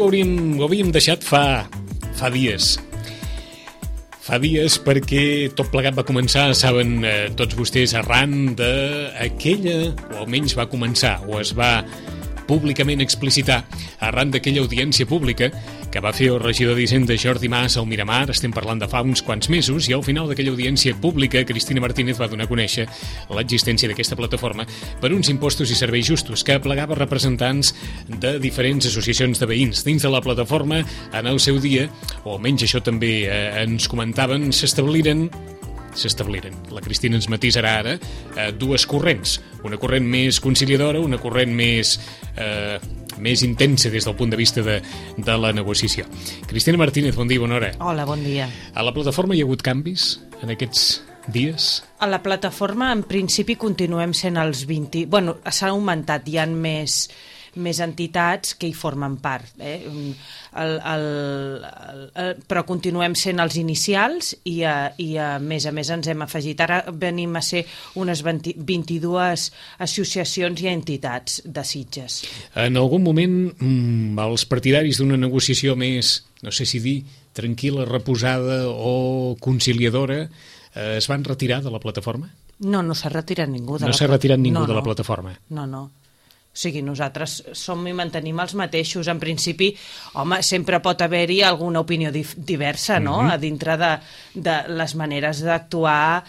ho havíem deixat fa dies. Fa dies perquè tot plegat va començar, saben tots vostès, arran d'aquella, o almenys va començar, o es va públicament explicitar, arran d'aquella audiència pública que va fer el regidor d'Hisenda Jordi Mas al Miramar, estem parlant de fa uns quants mesos, i al final d'aquella audiència pública Cristina Martínez va donar a conèixer l'existència d'aquesta plataforma per uns impostos i serveis justos que aplegava representants de diferents associacions de veïns. Dins de la plataforma, en el seu dia, o almenys això també ens comentaven, s'establiren, la Cristina ens matisarà ara, dues corrents. Una corrent més conciliadora, una corrent més intensa des del punt de vista de la negociació. Cristina Martínez, bon dia, bona hora. Hola, bon dia. A la plataforma hi ha hagut canvis en aquests dies? A la plataforma, en principi, continuem sent els 20... Bueno, s'ha augmentat, hi ha més entitats que hi formen part, però continuem sent els inicials i a més ens hem afegit. Ara venim a ser unes 22 associacions i entitats de Sitges. En algun moment els partidaris d'una negociació més, no sé si dir, tranquil·la, reposada o conciliadora, es van retirar de la plataforma? No s'ha retirat ningú de la plataforma. No s'ha retirat ningú de la plataforma? No. O sigui, nosaltres som i mantenim els mateixos. En principi, home, sempre pot haver-hi alguna opinió diversa, no?, a dintre de les maneres d'actuar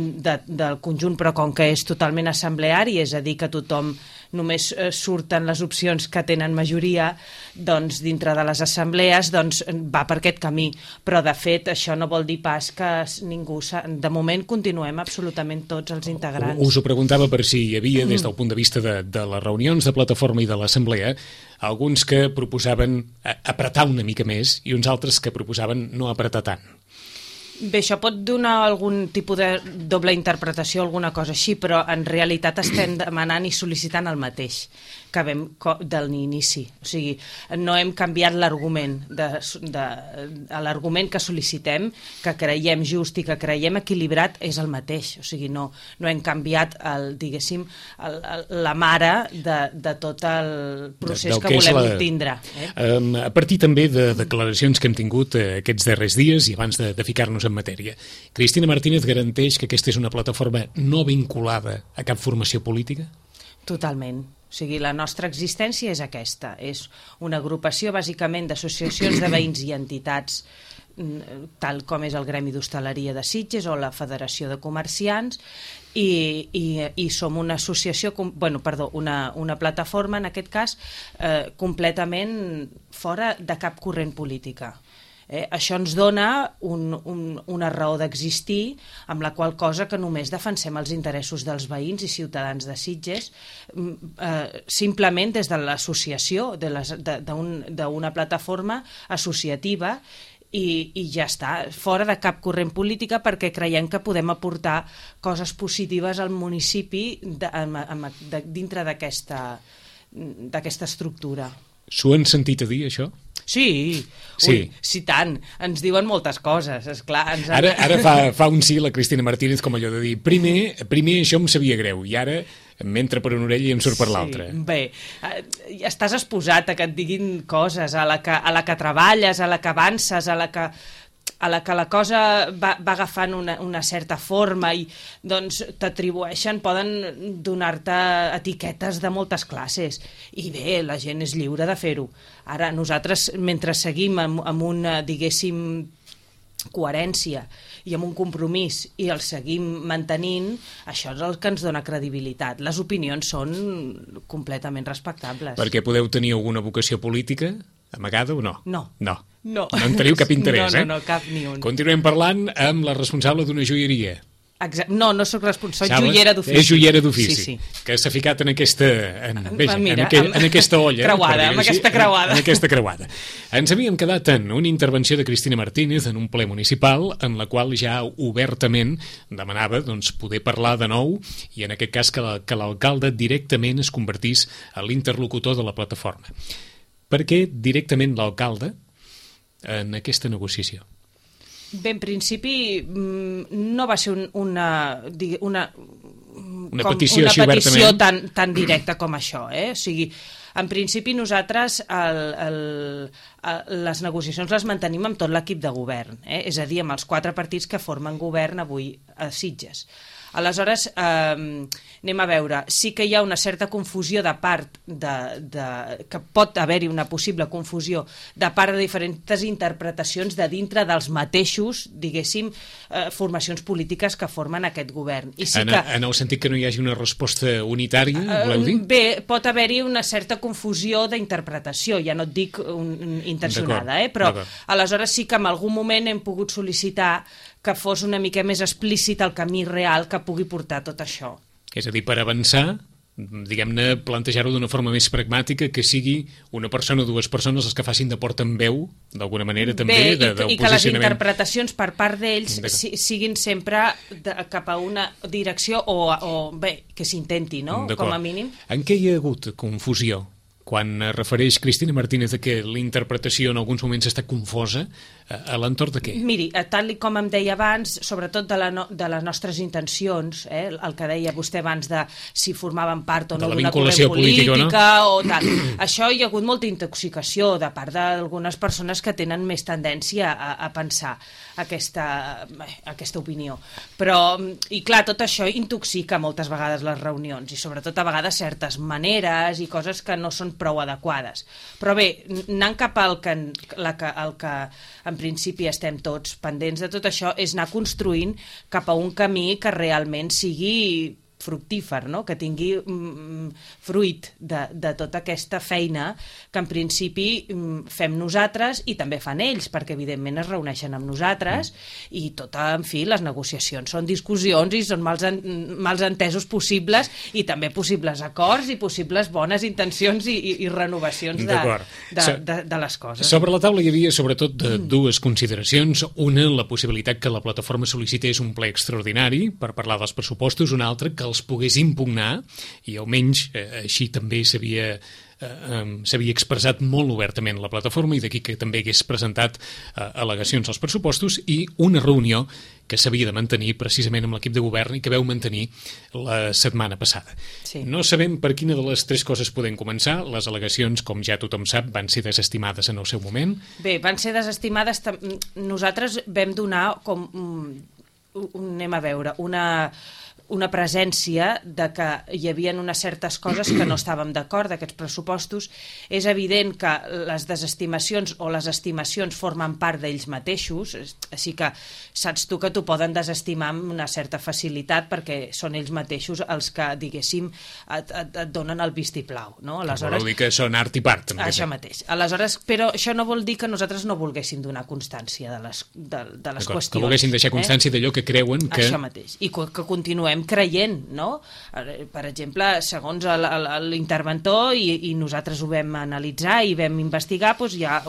del conjunt, però com que és totalment assembleari, és a dir, que tothom només surten les opcions que tenen majoria, doncs dintre de les assemblees va per aquest camí. Però, de fet, això no vol dir pas que ningú... De moment continuem absolutament tots els integrants. Us ho preguntava per si hi havia, des del punt de vista de les reunions de plataforma i de l'assemblea, alguns que proposaven apretar una mica més i uns altres que proposaven no apretar tant. Bé, això pot donar algun tipus de doble interpretació, alguna cosa així, però en realitat estem demanant i sol·licitant el mateix que vam de l'inici. O sigui, no hem canviat l'argument. L'argument que sol·licitem, que creiem just i que creiem equilibrat, és el mateix. O sigui, no hem canviat, diguéssim, la mare de tot el procés que volem tindre. A partir també de declaracions que hem tingut aquests darrers dies i abans de ficar-nos en matèria, Cristina Martínez garanteix que aquesta és una plataforma no vinculada a cap formació política? Totalment. O sigui, la nostra existència és aquesta. És una agrupació, bàsicament, d'associacions de veïns i entitats, tal com és el Gremi d'Hostaleria de Sitges o la Federació de Comerciants, i som una associació, una plataforma, en aquest cas, completament fora de cap corrent política. Això ens dona una raó d'existir, amb la qual cosa que només defensem els interessos dels veïns i ciutadans de Sitges, simplement des de l'associació, d'una plataforma associativa, i ja està, fora de cap corrent política, perquè creiem que podem aportar coses positives al municipi dintre d'aquesta estructura. S'ho han sentit a dir, això? Sí. Ui, sí, tant. Ens diuen moltes coses, esclar. Ara fa un sí la Cristina Martínez, com allò de dir, primer això em sabia greu, i ara m'entra per una orella i em surt per l'altra. Bé, estàs exposat a que et diguin coses, a la que treballes, a la que avances, a la que la cosa va agafant una certa forma i doncs t'atribueixen, poden donar-te etiquetes de moltes classes. I bé, la gent és lliure de fer-ho. Ara, nosaltres, mentre seguim amb una, diguéssim, coherència i amb un compromís i el seguim mantenint, això és el que ens dona credibilitat. Les opinions són completament respectables. Perquè podeu tenir alguna vocació política amagada o no? No. No en teniu cap interès, No, cap ni un. Continuem parlant amb la responsable d'una joieria. No soc responsable, soc joiera d'ofici. És joiera d'ofici, sí. Que s'ha ficat en aquesta olla. Creuada, amb aquesta creuada. En aquesta creuada. Ens havíem quedat en una intervenció de Cristina Martínez en un ple municipal en la qual ja obertament demanava poder parlar de nou i en aquest cas que l'alcalde directament es convertís en l'interlocutor de la plataforma. Per què directament l'alcalde en aquesta negociació? Bé, en principi no va ser una petició tan directa com això, O sigui, en principi nosaltres les negociacions les mantenim amb tot l'equip de govern, és a dir, amb els 4 partits que formen govern avui a Sitges. Aleshores, anem a veure, sí que hi ha una certa confusió de part que pot haver-hi una possible confusió de part de diferents interpretacions de dintre dels mateixos, diguéssim, formacions polítiques que formen aquest govern. I sí en el sentit que no hi hagi una resposta unitària, voleu dir? Bé, pot haver-hi una certa confusió d'interpretació, ja no et dic intencionada, però aleshores sí que en algun moment hem pogut sol·licitar que fos una mica més explícit el camí real que pugui portar tot això. És a dir, per avançar, diguem-ne, plantejar-ho d'una forma més pragmàtica, que sigui una persona o 2 persones els que facin de portaveu, d'alguna manera, també, del posicionament. I que les interpretacions per part d'ells siguin sempre cap a una direcció o bé, que s'intenti, no?, com a mínim. En què hi ha hagut confusió? Quan refereix Cristina Martínez que la interpretació en alguns moments està confosa, a l'entorn de què? Miri, tal com em deia abans, sobretot de les nostres intencions, el que deia vostè abans de si formaven part o no d'una corrent política o tal. Això hi ha hagut molta intoxicació de part d'algunes persones que tenen més tendència a pensar aquesta opinió. Però, i clar, tot això intoxica moltes vegades les reunions i sobretot a vegades certes maneres i coses que no són prou adequades. Però bé, anant cap al que en principi estem tots pendents de tot això, és anar construint cap a un camí que realment sigui fructífer, no?, que tingui fruit de tota aquesta feina que en principi fem nosaltres i també fan ells, perquè evidentment es reuneixen amb nosaltres i en fi, les negociacions són discussions i són mals entesos possibles i també possibles acords i possibles bones intencions i renovacions de les coses. Sobre la taula hi havia sobretot 2 consideracions. Una, la possibilitat que la plataforma sol·licités un ple extraordinari per parlar dels pressupostos, una altra, que els pogués impugnar, i almenys així també s'havia expressat molt obertament la plataforma i d'aquí que també hagués presentat al·legacions als pressupostos, i una reunió que s'havia de mantenir precisament amb l'equip de govern i que veu mantenir la setmana passada. Sí. No sabem per quina de les 3 coses podem començar. Les al·legacions, com ja tothom sap, van ser desestimades en el seu moment. Bé, van ser desestimades. Nosaltres vam donar com anem a veure, una presència de que hi havia unes certes coses que no estàvem d'acord d'aquests pressupostos. És evident que les desestimacions o les estimacions formen part d'ells mateixos, així que saps tu que t'ho poden desestimar amb una certa facilitat perquè són ells mateixos els que, diguéssim, et donen el vistiplau, no? Aleshores, vol dir que són art i part. Això mateix. Aleshores, però això no vol dir que nosaltres no volguéssim donar constància de les qüestions. Que volguessin deixar constància d'allò que creuen que... Això mateix. I que continuem creient, no? Per exemple, segons l'interventor, i nosaltres ho vam analitzar i vam investigar, doncs hi ha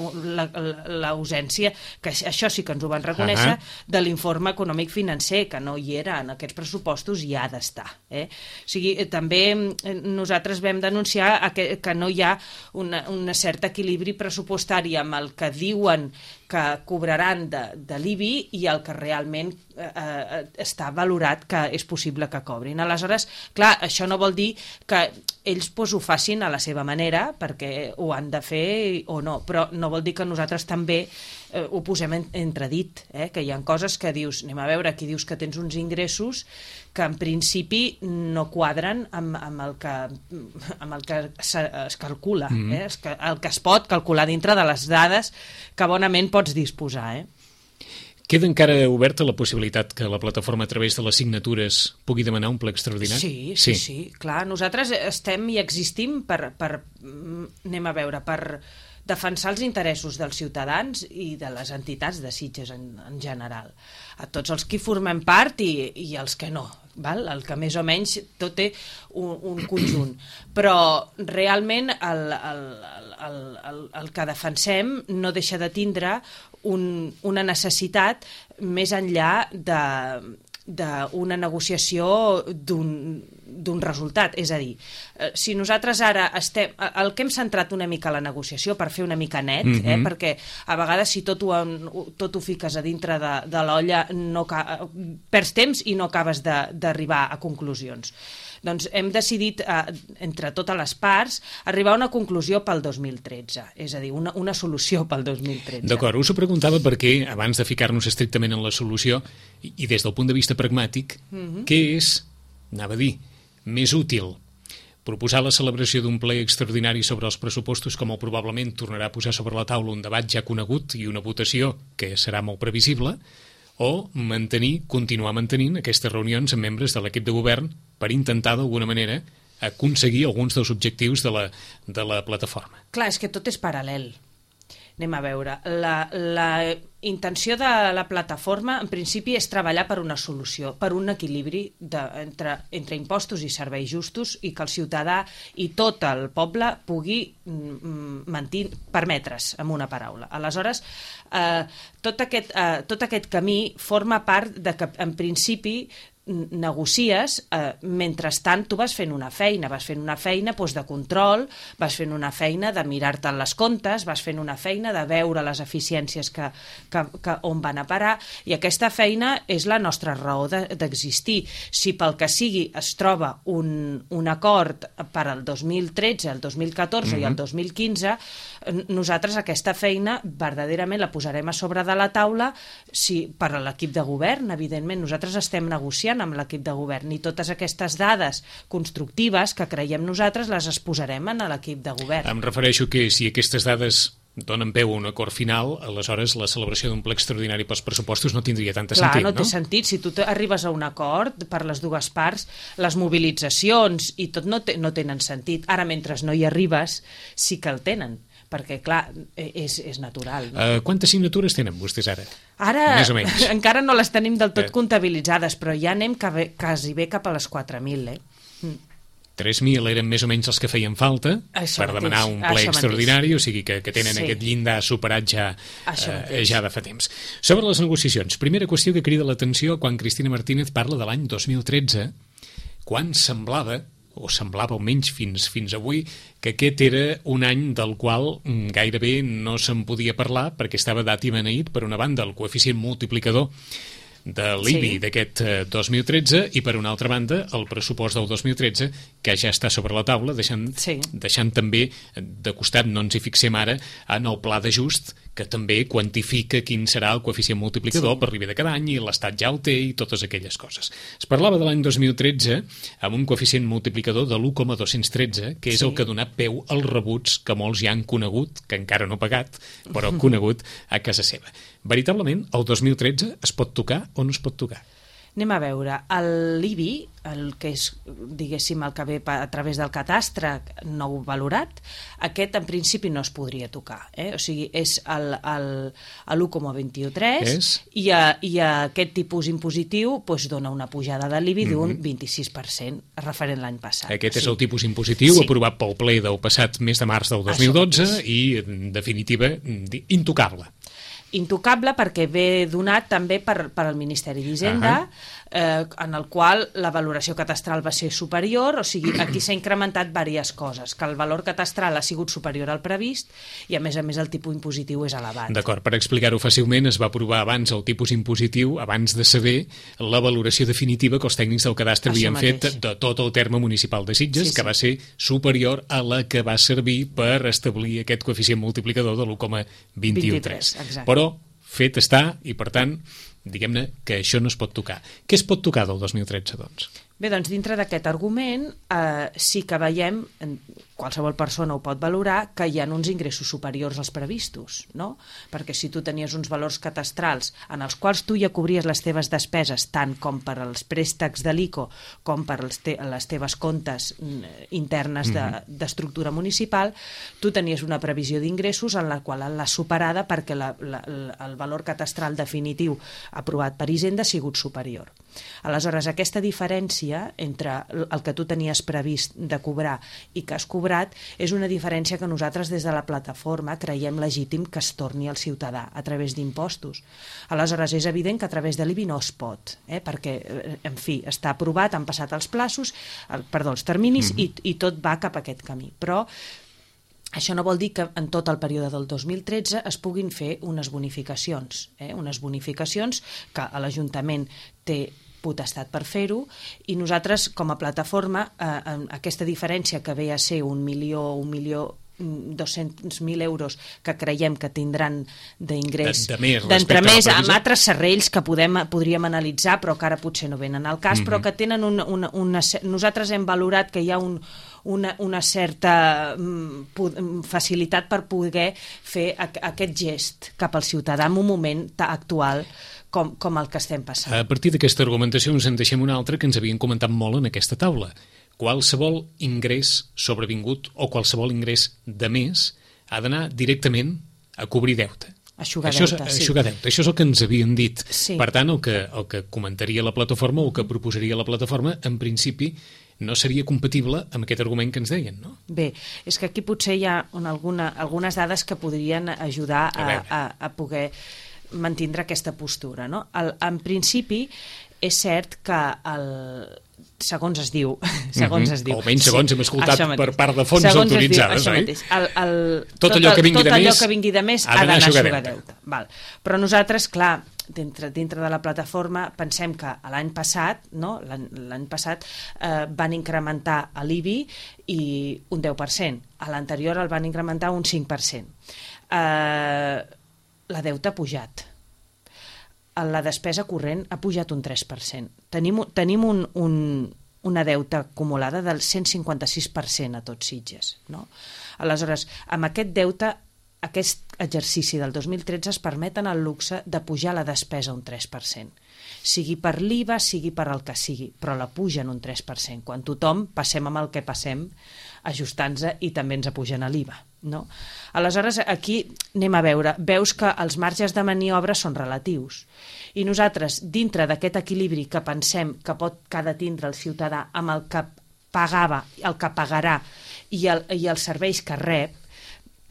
l'ausència, que això sí que ens ho van reconèixer, de l'informe econòmic financer, que no hi era en aquests pressupostos i ha d'estar. O sigui, també nosaltres vam denunciar que no hi ha un cert equilibri pressupostari amb el que diuen que cobraran de l'IBI i el que realment està valorat que és possible que cobrin. Aleshores, clar, això no vol dir que ells ho facin a la seva manera, perquè ho han de fer o no, però no vol dir que nosaltres també ho posem entredit, que hi ha coses que dius, anem a veure, aquí dius que tens uns ingressos que en principi no quadren amb el que es calcula, el que es pot calcular dintre de les dades que bonament pots disposar. Queda encara oberta la possibilitat que la plataforma a través de les signatures pugui demanar un ple extraordinari? Sí, clar. Nosaltres estem i existim anem a veure, per defensar els interessos dels ciutadans i de les entitats de Sitges en general. A tots els que formem part i els que no. El que més o menys tot té un conjunt. Però realment el que defensem no deixa de tindre una necessitat més enllà d'una negociació d'un resultat. És a dir, si nosaltres ara el que hem centrat una mica a la negociació per fer una mica net, perquè a vegades si tot ho fiques a dintre de l'olla perds temps i no acabes d'arribar a conclusions. Doncs hem decidit, entre totes les parts, arribar a una conclusió pel 2013, és a dir, una solució pel 2013. D'acord, us ho preguntava perquè, abans de ficar-nos estrictament en la solució, i des del punt de vista pragmàtic, què és, anava a dir, més útil? Proposar la celebració d'un ple extraordinari sobre els pressupostos, com probablement tornarà a posar sobre la taula un debat ja conegut i una votació que serà molt previsible, o continuar mantenint aquestes reunions amb membres de l'equip de govern per intentar, d'alguna manera, aconseguir alguns dels objectius de la plataforma. Clar, és que tot és paral·lel. Anem a veure. La intenció de la plataforma, en principi, és treballar per una solució, per un equilibri entre impostos i serveis justos i que el ciutadà i tot el poble pugui permetre's, amb una paraula. Aleshores, tot aquest camí forma part de que, en principi, negocies, mentrestant tu vas fent una feina doncs, de control, vas fent una feina de mirar-te les comptes, vas fent una feina de veure les eficiències on van a parar, i aquesta feina és la nostra raó d'existir. Si pel que sigui es troba un acord per al 2013, el 2014 i el 2015, nosaltres aquesta feina verdaderament la posarem a sobre de la taula per a l'equip de govern, evidentment. Nosaltres estem negociant amb l'equip de govern i totes aquestes dades constructives que creiem nosaltres les exposarem a l'equip de govern. Em refereixo que si aquestes dades donen peu a un acord final, aleshores la celebració d'un ple extraordinari pels pressupostos no tindria tanta sentit, no? No té sentit. Si tu arribes a un acord per les dues parts, les mobilitzacions i tot no tenen sentit. Ara, mentre no hi arribes, sí que el tenen, perquè, clar, és natural. No? Quantes signatures tenen vostès ara? Ara més o menys. Encara no les tenim del tot comptabilitzades, però ja anem quasi bé cap a les 4.000, 3.000 eren més o menys els que feien falta per demanar un ple extraordinari, o sigui que tenen aquest llindar superat ja de fa temps. Sobre les negociacions, primera qüestió que crida l'atenció quan Cristina Martínez parla de l'any 2013, quan semblava almenys fins avui, que aquest era un any del qual gairebé no se'n podia parlar perquè estava dat i beneït, per una banda, el coeficient multiplicador de l'IBI d'aquest 2013 i, per una altra banda, el pressupost del 2013, que ja està sobre la taula, deixant també de costat, no ens hi fixem ara, en el pla d'ajust, que també quantifica quin serà el coeficient multiplicador per arribar de cada any, i l'Estat ja el té i totes aquelles coses. Es parlava de l'any 2013 amb un coeficient multiplicador de l'1,213, que és el que ha donat peu als rebuts que molts ja han conegut, que encara no pagat, però conegut a casa seva. Veritablement, el 2013 es pot tocar o no es pot tocar? Anem a veure, l'IBI, el que és, diguéssim, el que ve a través del catastre nou valorat, aquest en principi no es podria tocar. O sigui, és l'1,23 i aquest tipus impositiu dona una pujada de l'IBI d'un 26% referent l'any passat. Aquest és el tipus impositiu aprovat pel ple del passat mes de març del 2012 i, en definitiva, intocable. Intocable perquè ve donat també per al Ministeri d'Hisenda, en el qual la valoració catastral va ser superior, o sigui, aquí s'ha incrementat diverses coses, que el valor catastral ha sigut superior al previst i, a més, el tipus impositiu és elevat. D'acord, per explicar-ho fàcilment, es va aprovar abans el tipus impositiu, abans de saber la valoració definitiva que els tècnics del cadastre havien fet de tot el terme municipal de Sitges, que va ser superior a la que va servir per establir aquest coeficient multiplicador de l'1,23. Però fet està, i per tant, diguem-ne que això no es pot tocar. Què es pot tocar del 2013, doncs? Bé, doncs dintre d'aquest argument sí que veiem, qualsevol persona ho pot valorar, que hi ha uns ingressos superiors als previstos, no? Perquè si tu tenies uns valors catastrals en els quals tu ja cobries les teves despeses, tant com per als préstecs de l'ICO com per les teves comptes internes d'estructura municipal, tu tenies una previsió d'ingressos en la qual l'has superada perquè el valor catastral definitiu aprovat per Hisenda ha sigut superior. Aleshores, aquesta diferència entre el que tu tenies previst de cobrar i que has cobrat és una diferència que nosaltres des de la plataforma creiem legítim que es torni al ciutadà a través d'impostos. Aleshores, és evident que a través de l'IBI no es pot, perquè, en fi, està aprovat, han passat els terminis i tot va cap a aquest camí. Però això no vol dir que en tot el període del 2013 es puguin fer unes bonificacions que l'Ajuntament té potestat per fer-ho, i nosaltres, com a plataforma, aquesta diferència que ve a ser 1.200.000 euros que creiem que tindran d'ingrés d'entremès amb altres serrells que podríem analitzar, però que ara potser no venen al cas, però que tenen nosaltres hem valorat que hi ha una certa facilitat per poder fer aquest gest cap al ciutadà en un moment actual com el que estem passant. A partir d'aquesta argumentació ens en deixem una altra que ens havien comentat molt en aquesta taula. Qualsevol ingrés sobrevingut o qualsevol ingrés de més ha d'anar directament a cobrir deute. Eixugar deute. Això és el que ens havien dit. Sí. Per tant, el que comentaria la plataforma o que proposaria la plataforma, en principi, no seria compatible amb aquest argument que ens deien, no? Bé, és que aquí potser hi ha algunes dades que podrien ajudar a poder mantindre aquesta postura, no? En principi, és cert que segons es diu. Almenys segons hem escoltat per part de fonts autoritzades, oi? Tot allò que vingui de més ha d'anar a eixugar deute. Però nosaltres, clar, dintre de la plataforma pensem que l'any passat van incrementar l'IBI i un 10%. A l'anterior el van incrementar un 5%. La deute ha pujat. La despesa corrent ha pujat un 3%. Tenim una deuta acumulada del 156% a tots Sitges. No? Aleshores, amb aquest deute, aquest exercici del 2013 es permeten el luxe de pujar la despesa un 3%. Sigui per l'IVA, sigui per el que sigui, però la pugen un 3%. Quan tothom passem amb el que passem, ajustant-se i també ens apugen a l'IVA. No? Aleshores, aquí anem a veure. Veus que els marges de maniobra són relatius. I nosaltres, dintre d'aquest equilibri que pensem que ha de tindre el ciutadà amb el que pagava, el que pagarà i els serveis que rep,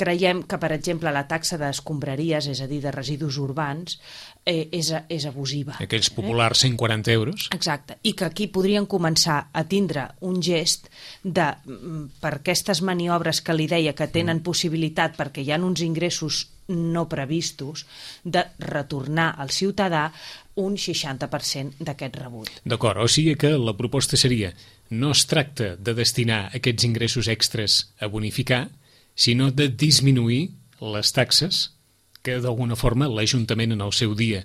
creiem que, per exemple, la taxa d'escombraries, és a dir, de residus urbans, és abusiva. Aquells populars 140 euros. Exacte, i que aquí podrien començar a tindre un gest per aquestes maniobres que li deia que tenen possibilitat perquè hi ha uns ingressos no previstos, de retornar al ciutadà un 60% d'aquest rebut. D'acord, o sigui que la proposta seria: no es tracta de destinar aquests ingressos extres a bonificar, sinó de disminuir les taxes que d'alguna forma l'Ajuntament en el seu dia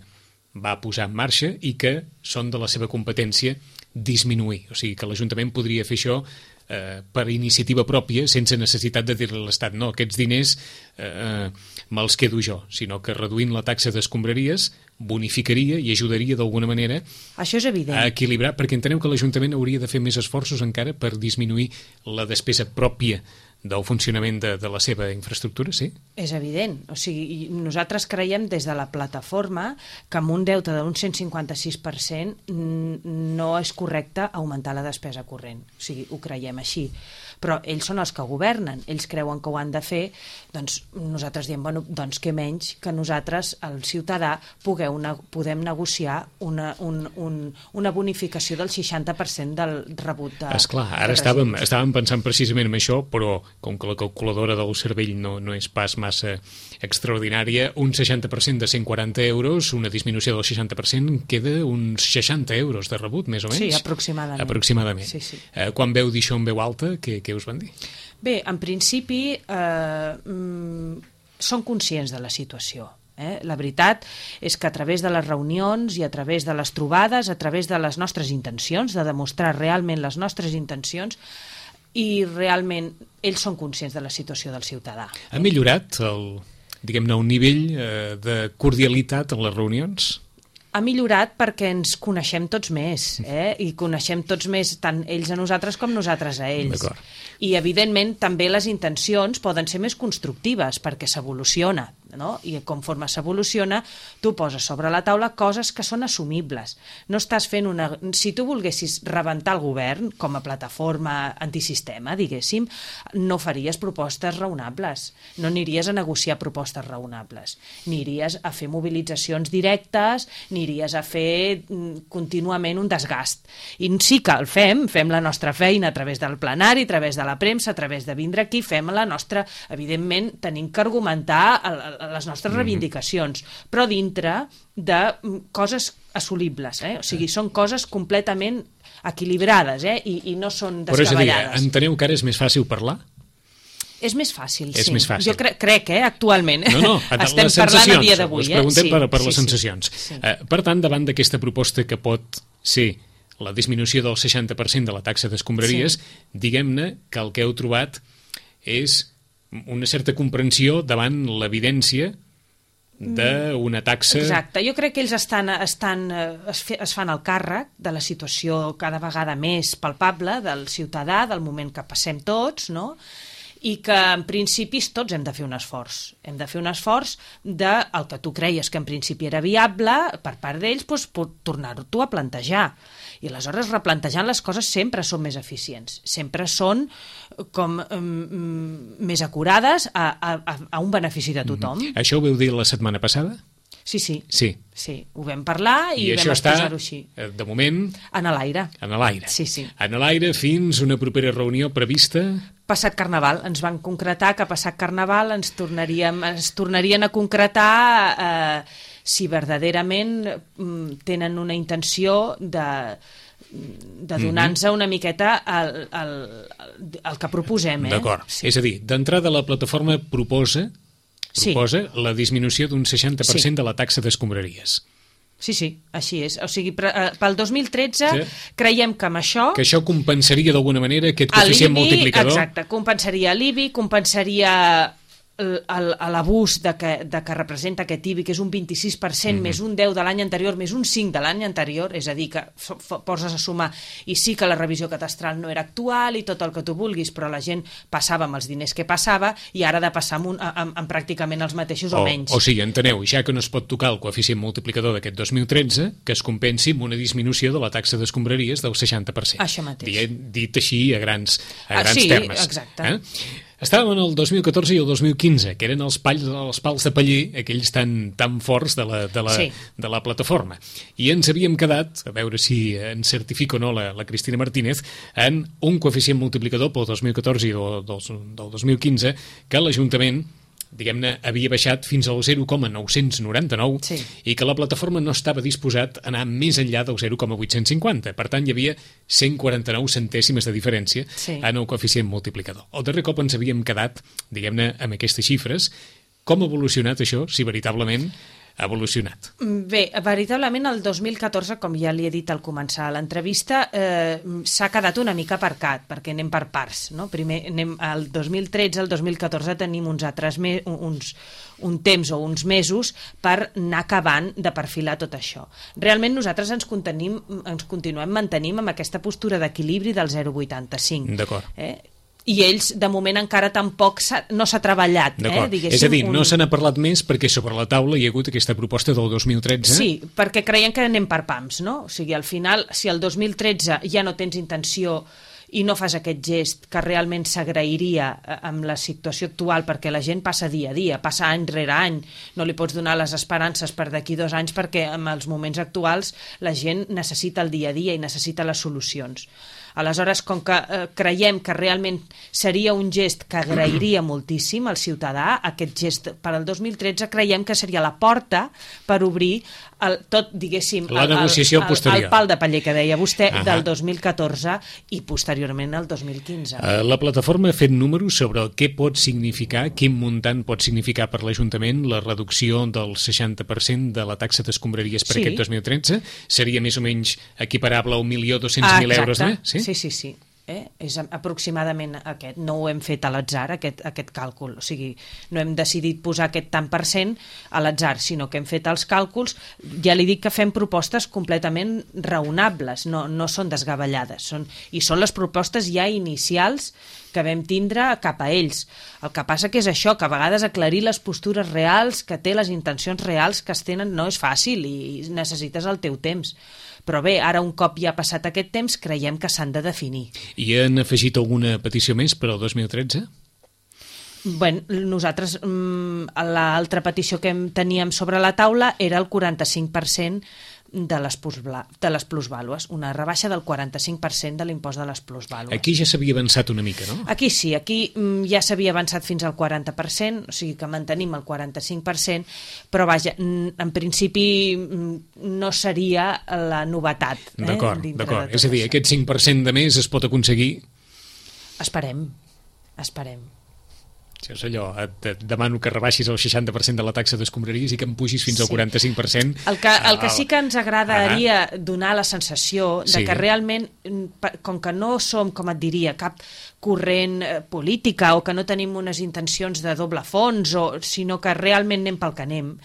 va posar en marxa i que són de la seva competència disminuir. O sigui que l'Ajuntament podria fer això per iniciativa pròpia, sense necessitat de dir-li a l'Estat no, aquests diners me'ls quedo jo, sinó que reduint la taxa d'escombraries bonificaria i ajudaria d'alguna manera això és evident. A equilibrar, perquè enteneu que l'Ajuntament hauria de fer més esforços encara per disminuir la despesa pròpia del funcionament de la seva infraestructura, sí? És evident. O sigui, nosaltres creiem des de la plataforma que amb un deute d'un 156% no és correcte augmentar la despesa corrent. O sigui, ho creiem així. Però ells són els que governen, ells creuen que ho han de fer, doncs nosaltres diem, bueno, doncs què menys que nosaltres, el ciutadà, podem negociar una bonificació del 60% del rebut de... Esclar, ara estàvem pensant precisament en això, però com que la calculadora del cervell no és pas massa extraordinària, un 60% de 140 euros, una disminució del 60%, queda uns 60 euros de rebut, més o menys? Sí, aproximadament. Aproximadament. Sí, sí. Quan veu dir això en veu alta, què us van dir? Bé, en principi són conscients de la situació. La veritat és que a través de les reunions i a través de les trobades, a través de les nostres intencions, de demostrar realment les nostres intencions, i realment ells són conscients de la situació del ciutadà. Ha millorat el nivell de cordialitat en les reunions? Ha millorat perquè ens coneixem tots més, i coneixem tots més tant ells a nosaltres com nosaltres a ells. I, evidentment, també les intencions poden ser més constructives perquè s'evoluciona, no? I conforme s'evoluciona, tu poses sobre la taula coses que són assumibles. No estàs fent una... Si tu volguessis rebentar el govern com a plataforma antisistema, diguéssim, no faries propostes raonables, no aniries a negociar propostes raonables, aniries a fer mobilitzacions directes, aniries a fer contínuament un desgast. I sí que el fem la nostra feina a través del plenari, a través de la premsa, a través de vindre aquí, fem la nostra... Evidentment, tenim que argumentar les nostres reivindicacions, però dintre de coses assolibles, o sigui, són coses completament equilibrades, i no són descabellades. Però és a dir, enteneu que ara és més fàcil parlar? És més fàcil, sí. És més fàcil. Jo crec, actualment. No, estem parlant a dia d'avui. Us preguntem per les sensacions. Sí. Per tant, davant d'aquesta proposta que pot ser la disminució del 60% de la taxa d'escombraries, diguem-ne que el que heu trobat és una certa comprensió davant l'evidència d'una taxa... Exacte, jo crec que ells es fan el càrrec de la situació cada vegada més palpable del ciutadà, del moment que passem tots, no?, i que en principi tots hem de fer un esforç. Hem de fer un esforç del que tu creies que en principi era viable per part d'ells, doncs, tornar-t'ho a plantejar. I aleshores replantejant les coses sempre són més eficients, sempre són com més acurades a un benefici de tothom. Això ho vau dir la setmana passada? Sí, ho vam parlar i vam exposar-ho així. I això està, de moment... En l'aire. En l'aire. Sí. En l'aire fins una propera reunió prevista... Passat Carnaval. Ens van concretar que passat Carnaval ens tornarien a concretar si verdaderament tenen una intenció de donar-nos una miqueta el que proposem. D'acord. Sí. És a dir, d'entrada la plataforma proposa la disminució d'un 60% de la taxa d'escombraries. Sí, així és. O sigui, pel 2013 creiem que amb això... Que això compensaria d'alguna manera aquest coeficient multiplicador? Exacte, compensaria l'IBI, compensaria l'abús de que representa aquest IBI, que és un 26% més un 10 de l'any anterior, més un 5 de l'any anterior, és a dir, que poses a sumar, i sí que la revisió catastral no era actual i tot el que tu vulguis, però la gent passava amb els diners que passava i ara ha de passar amb pràcticament els mateixos o menys. O sigui, enteneu, ja que no es pot tocar el coeficient multiplicador d'aquest 2013, que es compensi amb una disminució de la taxa d'escombraries del 60%. Això mateix. Dit així a grans termes. Sí, exacte. Estàvem en el 2014 i el 2015, que eren els pals de paller, aquells tan forts de la plataforma. I ens havíem quedat, a veure si ens certifica o no la Cristina Martínez, en un coeficient multiplicador pel 2014 i del 2015 que l'Ajuntament, diguem-ne, havia baixat fins al 0,999 i que la plataforma no estava disposat a anar més enllà del 0,850. Per tant, hi havia 149 centèsimes de diferència en el coeficient multiplicador. El darrer cop ens havíem quedat, diguem-ne, amb aquestes xifres. Com ha evolucionat això, si veritablement ha evolucionat? Bé, veritablement el 2014, com ja li he dit al començar l'entrevista, s'ha quedat una mica aparcat, perquè anem per parts, no? Primer anem al 2013, al 2014 tenim un temps o uns mesos per anar acabant de perfilar tot això. Realment nosaltres ens continuem mantenint amb aquesta postura d'equilibri del 0,85. D'acord. I ells, de moment, encara tampoc no s'ha treballat. És a dir, no se n'ha parlat més perquè sobre la taula hi ha hagut aquesta proposta del 2013? Sí, perquè creiem que anem per pams, no? O sigui, al final, si el 2013 ja no tens intenció i no fas aquest gest que realment s'agrairia amb la situació actual, perquè la gent passa dia a dia, passa any rere any, no li pots donar les esperances per d'aquí 2 anys perquè en els moments actuals la gent necessita el dia a dia i necessita les solucions. Aleshores, com que creiem que realment seria un gest que agrairia moltíssim al ciutadà, aquest gest per al 2013 creiem que seria la porta per obrir tot, diguéssim, la negociació posterior. El pal de paller que deia vostè del 2014 i posteriorment al 2015. La plataforma ha fet números sobre què pot significar, quin muntant pot significar per l'Ajuntament la reducció del 60% de la taxa d'escombraries per aquest 2013? Seria més o menys equiparable a 1.200.000 euros més? Sí. És aproximadament aquest. No ho hem fet a l'atzar, aquest càlcul. O sigui, no hem decidit posar aquest tant per cent a l'atzar, sinó que hem fet els càlculs. Ja li dic que fem propostes completament raonables, no són desgavellades. I són les propostes ja inicials que vam tindre cap a ells. El que passa que és això, que a vegades aclarir les postures reals, que té les intencions reals que es tenen, no és fàcil i necessites el teu temps. Però bé, ara un cop ja ha passat aquest temps, creiem que s'han de definir. I han afegit alguna petició més per al 2013? Bé, nosaltres l'altra petició que teníem sobre la taula era el 45% de les plusvàlues, una rebaixa del 45% de l'impost de les plusvàlues. Aquí ja s'havia avançat una mica, no? Aquí sí, aquí ja s'havia avançat fins al 40%, o sigui que mantenim el 45%, però vaja, en principi no seria la novetat. D'acord. És a dir, aquest 5% de més es pot aconseguir? Esperem. Això és allò, et demano que rebaixis el 60% de la taxa d'escombraries i que em pugis fins al 45%. El que sí que ens agradaria donar la sensació de que realment, com que no som, com et diria, cap corrent política o que no tenim unes intencions de doble fons, sinó que realment anem pel que anem,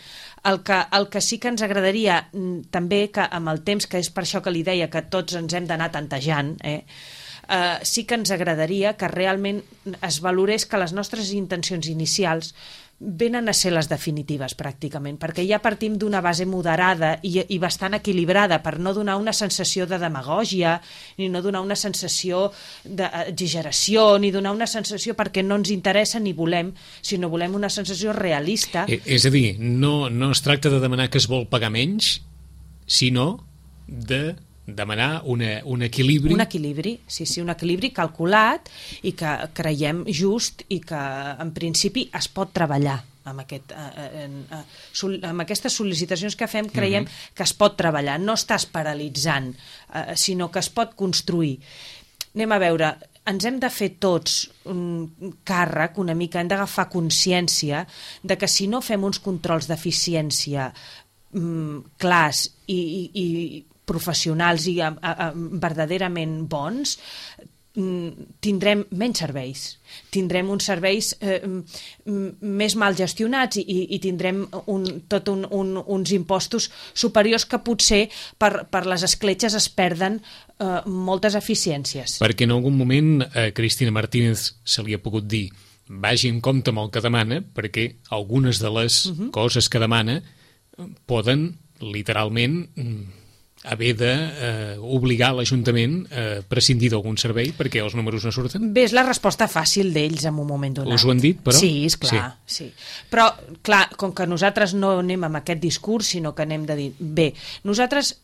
el que sí que ens agradaria també que amb el temps, que és per això que li deia que tots ens hem d'anar tantejant, sí que ens agradaria que realment es valorés que les nostres intencions inicials venen a ser les definitives pràcticament, perquè ja partim d'una base moderada i bastant equilibrada per no donar una sensació de demagògia, ni no donar una sensació d'exageració, ni donar una sensació perquè no ens interessa ni volem, sinó volem una sensació realista. És a dir, no es tracta de demanar que es vol pagar menys, sinó de demanar un equilibri. Un equilibri, sí, un equilibri calculat i que creiem just i que en principi es pot treballar amb aquestes sol·licitacions que fem. Creiem que es pot treballar, no estàs paralitzant, sinó que es pot construir. Anem a veure, ens hem de fer tots un càrrec una mica, hem d'agafar consciència de que si no fem uns controls d'eficiència clars i professionals i verdaderament bons, tindrem menys serveis. Tindrem uns serveis més mal gestionats i tindrem uns impostos superiors que potser per les escletxes es perden moltes eficiències. Perquè en algun moment a Cristina Martínez se li ha pogut dir vagi en compte amb el que demana, perquè algunes de les coses que demana poden literalment haver d'obligar l'Ajuntament a prescindir d'algun servei perquè els números no surten? Bé, és la resposta fàcil d'ells en un moment donat. Us ho han dit, però? Sí, esclar, sí. Però, clar, com que nosaltres no anem amb aquest discurs, sinó que anem de dir, bé, nosaltres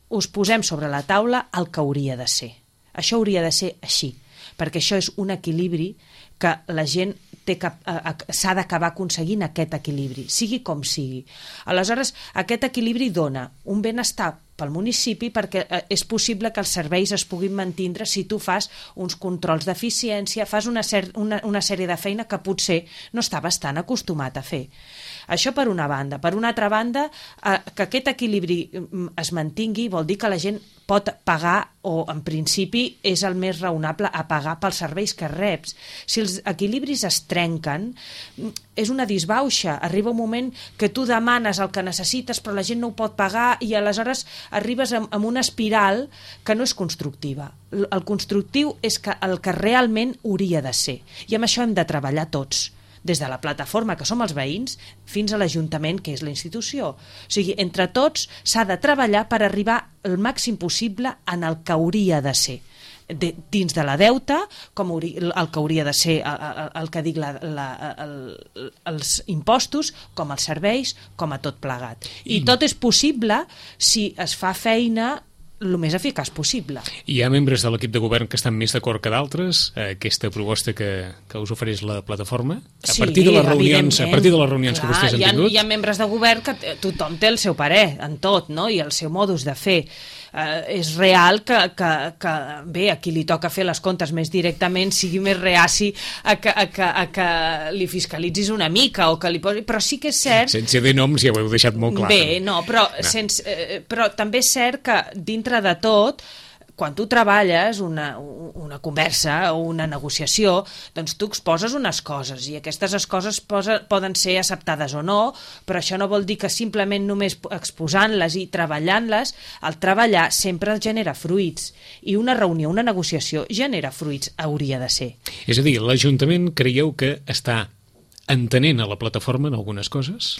us posem sobre la taula el que hauria de ser. Això hauria de ser així, perquè això és un equilibri que la gent s'ha d'acabar aconseguint, aquest equilibri, sigui com sigui. Aleshores, aquest equilibri dona un benestar pel municipi perquè és possible que els serveis es puguin mantindre si tu fas uns controls d'eficiència, fas una sèrie de feina que potser no estaves tan acostumat a fer. Això per una banda. Per una altra banda, que aquest equilibri es mantingui vol dir que la gent pot pagar, o en principi és el més raonable a pagar pels serveis que reps. Si els equilibris es trenquen, és una disbauxa. Arriba un moment que tu demanes el que necessites però la gent no ho pot pagar i aleshores arribes amb una espiral que no és constructiva. El constructiu és el que realment hauria de ser. I amb això hem de treballar tots, des de la plataforma, que som els veïns, fins a l'Ajuntament, que és la institució. O sigui, entre tots s'ha de treballar per arribar el màxim possible en el que hauria de ser. Dins de la deuta, com el que hauria de ser el que dic els impostos, com els serveis, com a tot plegat. I tot és possible si es fa feina el més eficaç possible. Hi ha membres de l'equip de govern que estan més d'acord que d'altres aquesta proposta que us ofereix la plataforma? A partir de les reunions que vostès han tingut? Hi ha membres de govern que tothom té el seu parer en tot, no? I el seu modus de fer. És real que bé, a qui li toca fer les comptes més directament sigui més reaci a que li fiscalitzis una mica o que li posi... Però sí que és cert... Sense dir noms ja ho heu deixat molt clar. Bé, no, però també és cert que dintre de tot, quan tu treballes una conversa o una negociació, doncs tu exposes unes coses i aquestes coses poden ser acceptades o no, però això no vol dir que simplement només exposant-les i treballant-les, el treballar sempre genera fruits i una reunió, una negociació genera fruits, hauria de ser. És a dir, l'Ajuntament creieu que està entenent a la plataforma en algunes coses?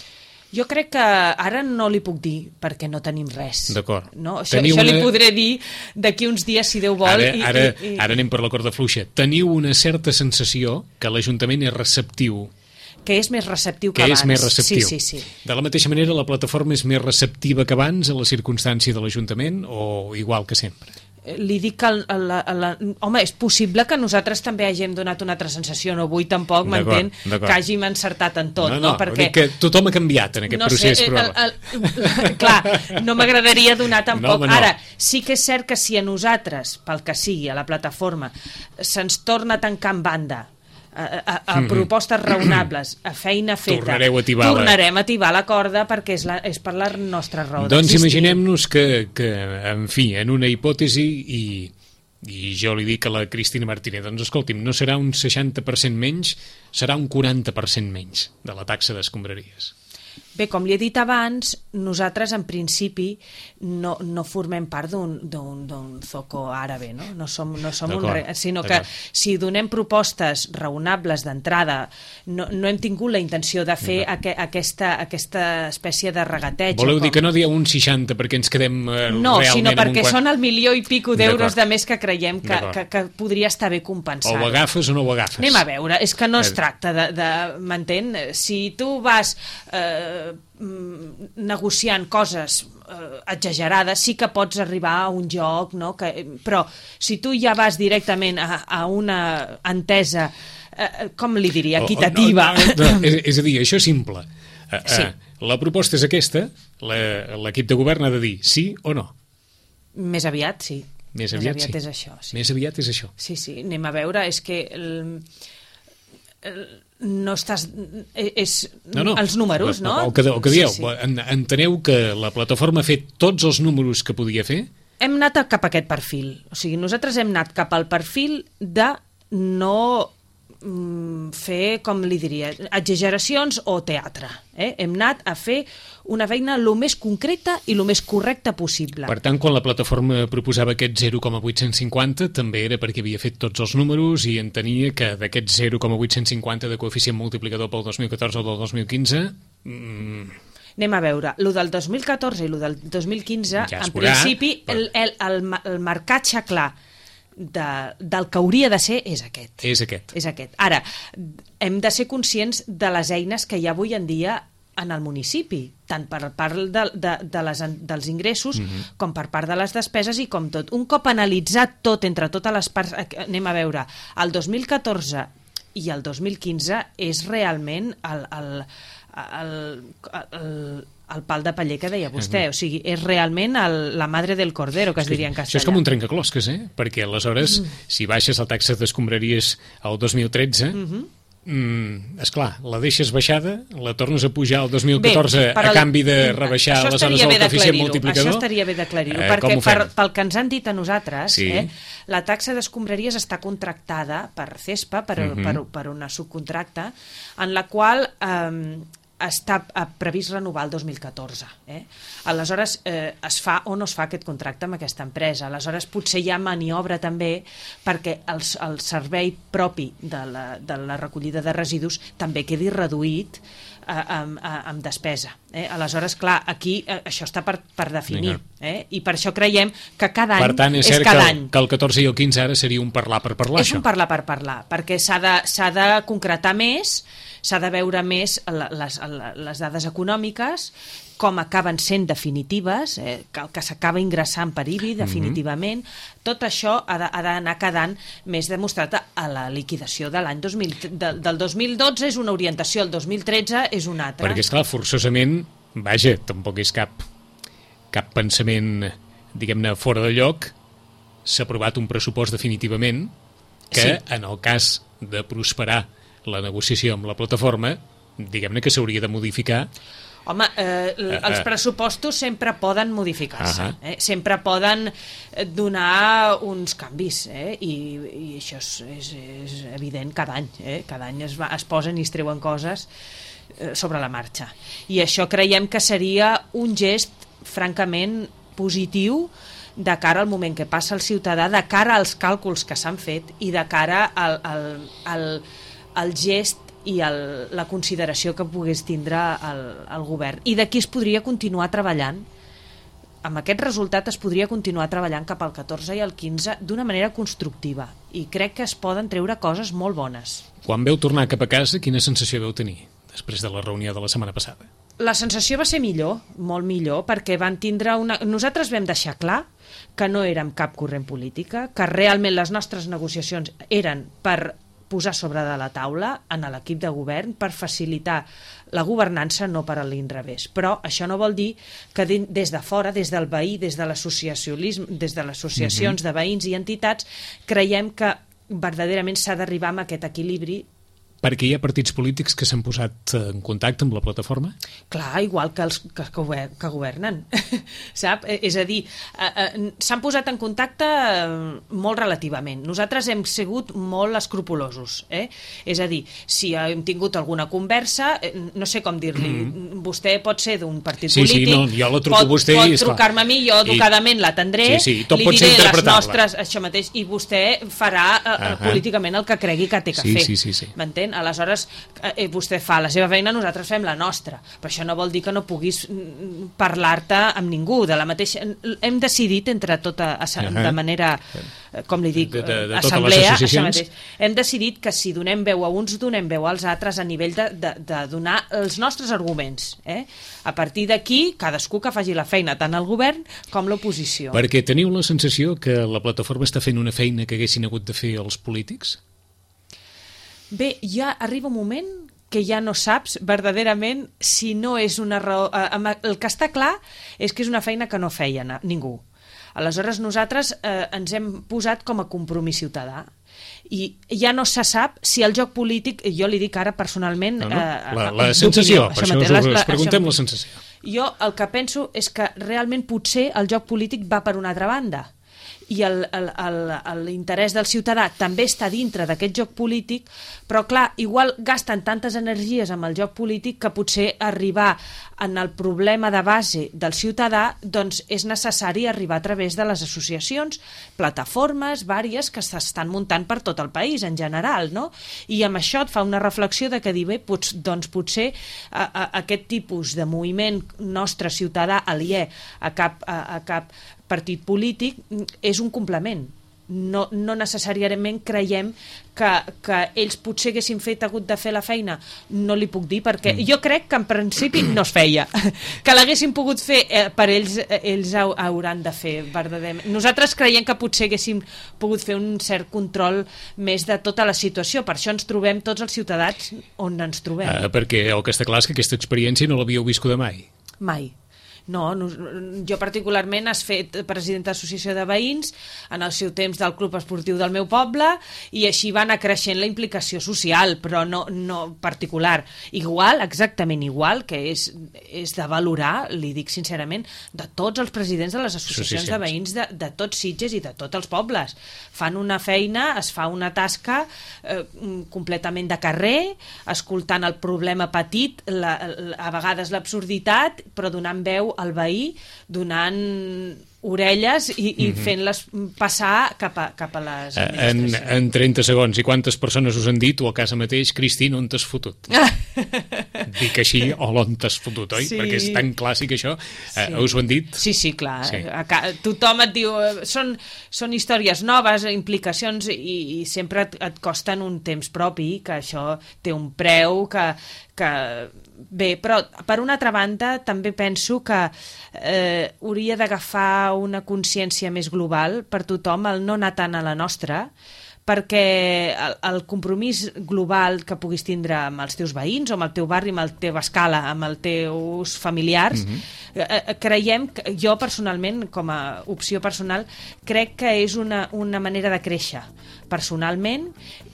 Jo crec que ara no li puc dir perquè no tenim res. D'acord. No? Això li podré dir d'aquí uns dies, si Déu vol. Ara anem per la corda fluixa. Teniu una certa sensació que l'Ajuntament és receptiu que és més receptiu que que abans. és més receptiu. Sí. De la mateixa manera, la plataforma és més receptiva que abans a la circumstància de l'Ajuntament o igual que sempre? Li dic que home, és possible que nosaltres també hàgim donat una altra sensació, no vull tampoc, m'entén, que hàgim encertat en tot, no? Perquè dic que tothom ha canviat en aquest procés, però... Clar, no m'agradaria donar tampoc... No. Ara, sí que és cert que si a nosaltres, pel que sigui, a la plataforma, se'ns torna a tancar en banda a propostes raonables, a feina feta, tornarem a tibar la corda perquè és per la nostra raó doncs d'existir. imaginem-nos que, en fi, en una hipòtesi i jo li dic a la Cristina Martínez, doncs escolti'm, no serà un 60% menys, serà un 40% menys de la taxa d'escombraries. Bé, com li he dit abans, nosaltres en principi no formem part d'un zoco àrabe, no som sinó que si donem propostes raonables d'entrada, no hem tingut la intenció de fer aquesta espècie de regateig. Voleu dir que no dieu un 60 perquè ens quedem no, realment sinó perquè amb un... són el milió i pico d'euros de més que creiem que podria estar bé compensat. O ho agafes o no ho agafes. Anem a veure, és que no es tracta m'entén? Si tu vas negociant coses exagerades, sí que pots arribar a un joc, no? Però si tu ja vas directament a una entesa, com li diria, equitativa... És a dir, això és simple. Sí. La proposta és aquesta, l'equip de govern ha de dir sí o no. Més aviat, sí. Més aviat és això. Sí. Més aviat és això. Sí, anem a veure, és que... no estàs... els números, no? El que dieu, enteneu que la plataforma ha fet tots els números que podia fer? Hem anat cap a aquest perfil. O sigui, nosaltres hem anat cap al perfil de no fer, com li diria, exageracions o teatre. Hem anat a fer una feina el més concreta i el més correcta possible. Per tant, quan la plataforma proposava aquest 0,850 també era perquè havia fet tots els números i entenia que d'aquest 0,850 de coeficient multiplicador pel 2014 o del 2015... Anem a veure, el del 2014 i el del 2015, ja en principi, el marcatge clar del que hauria de ser és aquest. És aquest. Ara, hem de ser conscients de les eines que hi ha avui en dia en el municipi, tant per part dels ingressos com per part de les despeses i com tot. Un cop analitzat tot entre totes les parts, anem a veure, el 2014 i el 2015 és realment el pal de paller que deia vostè, o sigui, és realment la madre del cordero, que es diria en castellà. Això és com un trencaclosques, perquè aleshores, si baixes la taxa d'escombraries al 2013, esclar, la deixes baixada, la tornes a pujar al 2014 a canvi de rebaixar aleshores el coeficient multiplicador. Això estaria bé d'aclarir-ho, perquè pel que ens han dit a nosaltres, la taxa d'escombraries està contractada per CESPA, per una subcontracta, en la qual està previst renovar el 2014. Aleshores, es fa o no es fa aquest contracte amb aquesta empresa. Aleshores, potser hi ha maniobra també perquè el servei propi de la recollida de residus també quedi reduït amb despesa. Aleshores, clar, aquí això està per definir. I per això creiem que cada any és cada any. Per tant, és cert que el 14 i el 15 ara seria un parlar per parlar, això? És un parlar per parlar, perquè s'ha de concretar més, s'ha de veure més les dades econòmiques, com acaben sent definitives, que s'acaba ingressant per IBI definitivament. Tot això ha d'anar quedant més demostrat a la liquidació de l'any del 2012 és una orientació, el 2013 és una altra. Perquè, esclar, forçosament, vaja, tampoc és cap pensament, diguem-ne, fora de lloc, s'ha aprovat un pressupost definitivament que, en el cas de prosperar la negociació amb la plataforma, diguem-ne que s'hauria de modificar. Home, els pressupostos sempre poden modificar-se, sempre poden donar uns canvis, i això és evident cada any. Cada any es posen i es treuen coses sobre la marxa. I això creiem que seria un gest francament positiu de cara al moment que passa el ciutadà, de cara als càlculs que s'han fet i de cara al gest i la consideració que pogués tindre el govern. I d'aquí es podria continuar treballant amb aquest resultat es podria continuar treballant cap al 14 i al 15 d'una manera constructiva i crec que es poden treure coses molt bones. Quan veu tornar cap a casa, quina sensació veu tenir després de la reunió de la setmana passada? La sensació va ser millor, molt millor, perquè van tindre nosaltres vam deixar clar que no érem cap corrent política, que realment les nostres negociacions eren per posar sobre de la taula en l'equip de govern per facilitar la governança, no per a l'inrevés. Però això no vol dir que des de fora, des del veí, des de l'associacionisme, des de les associacions de veïns i entitats, creiem que verdaderament s'ha d'arribar a aquest equilibri. Perquè hi ha partits polítics que s'han posat en contacte amb la plataforma? Clar, igual que els que governen, sap? És a dir, s'han posat en contacte molt relativament. Nosaltres hem sigut molt escrupulosos, És a dir, si hem tingut alguna conversa, no sé com dir-li, vostè pot ser d'un partit polític, jo la truco a vostè pot trucar-me a mi, jo educadament l'atendré, li diré les nostres, això mateix, i vostè farà políticament el que cregui que té que fer. Sí. M'entén? Aleshores, vostè fa la seva feina, nosaltres fem la nostra. Però això no vol dir que no puguis parlar-te amb ningú. De la mateixa... Hem decidit, entre tota, de manera, com li dic, assemblea, això mateix. Hem decidit que si donem veu a uns, donem veu als altres a nivell de donar els nostres arguments. A partir d'aquí, cadascú que faci la feina, tant el govern com l'oposició. Perquè teniu la sensació que la plataforma està fent una feina que haguessin hagut de fer els polítics? Bé, ja arriba un moment que ja no saps verdaderament si no és una raó... El que està clar és que és una feina que no feia ningú. Aleshores, nosaltres ens hem posat com a compromís ciutadà i ja no se sap si el joc polític, jo li dic ara personalment... La sensació, per això us preguntem la sensació. Jo el que penso és que realment potser el joc polític va per una altra banda i l'interès del ciutadà també està dintre d'aquest joc polític, però clar, igual gasten tantes energies amb el joc polític que potser arribar en el problema de base del ciutadà doncs és necessari arribar a través de les associacions, plataformes, vàries que s'estan muntant per tot el país en general, no? I amb això et fa una reflexió de que dir, bé, doncs potser aquest tipus de moviment nostre ciutadà aliè a cap partit polític és un complement. No necessàriament creiem que ells potser haguessin hagut de fer la feina, no li puc dir, perquè jo crec que en principi no es feia. Que l'haguessin pogut fer per ells hauran de fer verdaderament. Nosaltres creiem que potser haguéssim pogut fer un cert control més de tota la situació, per això ens trobem tots els ciutadans on ens trobem. Perquè el que està clar és que aquesta experiència no l'havíeu viscuda mai. Mai. No, jo particularment has fet presidenta d'associació de veïns en el seu temps del club esportiu del meu poble i així va anar creixent la implicació social, però no particular. Igual, exactament igual, que és de valorar, li dic sincerament, de tots els presidents de les associacions de veïns de tots Sitges i de tots els pobles. Fan una feina, es fa una tasca completament de carrer, escoltant el problema petit, a vegades l'absurditat, però donant veu al veí, donant orelles i fent-les passar cap a les administracions. En 30 segons, i quantes persones us han dit, o a casa mateix, Cristina, on t'has fotut? Dic així, o l'on t'has fotut, oi? Sí. Perquè és tan clàssic això. Sí. Us ho han dit? Sí, clar. Sí. Tothom et diu... Són històries noves, implicacions, i sempre et costen un temps propi, que això té un preu, que bé, però per una altra banda també penso que hauria d'agafar una consciència més global per tothom, el no anar tant a la nostra, perquè el compromís global que puguis tindre amb els teus veïns o amb el teu barri, amb la teva escala, amb els teus familiars, creiem, jo personalment, com a opció personal, crec que és una manera de créixer personalment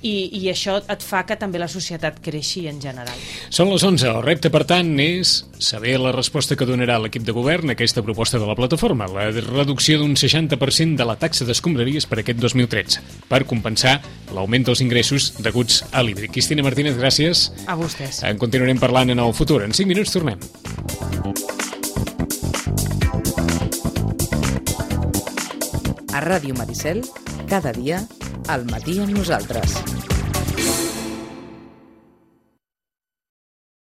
i això et fa que també la societat creixi en general. Són les 11. El repte, per tant, és saber la resposta que donarà l'equip de govern a aquesta proposta de la plataforma, la reducció d'un 60% de la taxa d'escombraries per aquest 2013, per compensar l'augment dels ingressos deguts a l'hídric. Cristina Martínez, gràcies. A vostès. En continuarem parlant en el futur. En 5 minuts tornem. A Ràdio Maricel, cada dia, al matí amb nosaltres.